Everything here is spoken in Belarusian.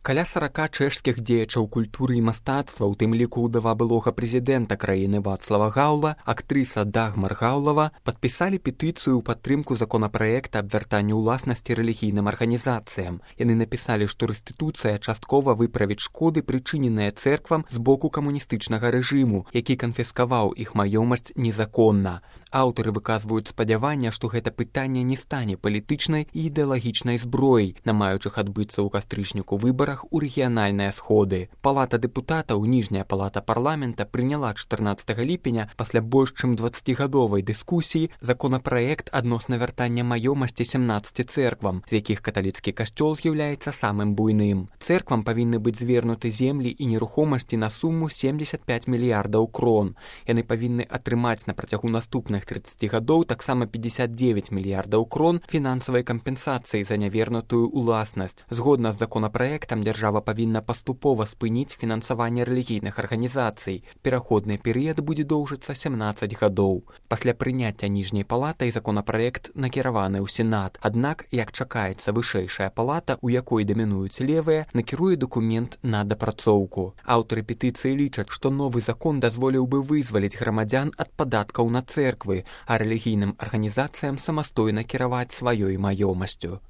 Каля 40 чэшскіх дзеячаў культуры і мастацтва, у тым ліку ўдава былога прэзідэнта краіны Вацлава Гаўла, актрыса Дагмар Гаўлава, падпісалі петыцыю ў падтрымку законапраекта аб вяртанні ўласнасці рэлігійным арганізацыям. Яны напісалі, што рэстытуцыя часткова выправіць шкоды, прычыненыя цэрквам з боку камуністычнага рэжыму, які канфіскаваў іх маёмасць незаконна. Аўтары выказваюць спадзяванне, што гэта пытанне не стане палітычнай і ідэалагічнай зброяй, на маючых адбыцца ў кастрычніку выбарах у рэгіянальныя сходы. Палата дэпутатаў, ніжняя палата парламента, прыняла 14 ліпеня пасля больш чым 20гадовай дыскусіі законапраект адносна вяртання маёмасці 17 цэрквам, з якіх каталіцкі касцёл з'яўляецца самым буйным. Цэрквам павінны быць звернуты землі і нерухомасці на суму 75 мільярдаў крон. Яны павінны атрымаць на працягу наступных 30 гадоў таксама 59 мільярдаў крон фінансавай кампенсацыі за нявернутую ўласнасць. Згодна з законапраектам, дзяржава павінна паступова спыніць фінансаванне рэлігійных арганізацый. Пераходны перыяд будзе доўжыцца 17 гадоў. Пасля прыняцця ніжняй палатай законапраект накіраваны ў Сенат. Аднак, як чакаецца, вышэйшая палата, у якой дамінуюць левыя, накіруе дакумент на дапрацоўку. Аўтары петыцыі лічаць, што новы закон дазволіў бы вызваліць грамадзян ад падаткаў на цэрквы, а рэлігійным арганізацыям самастойна кіраваць сваёй маёмасцю.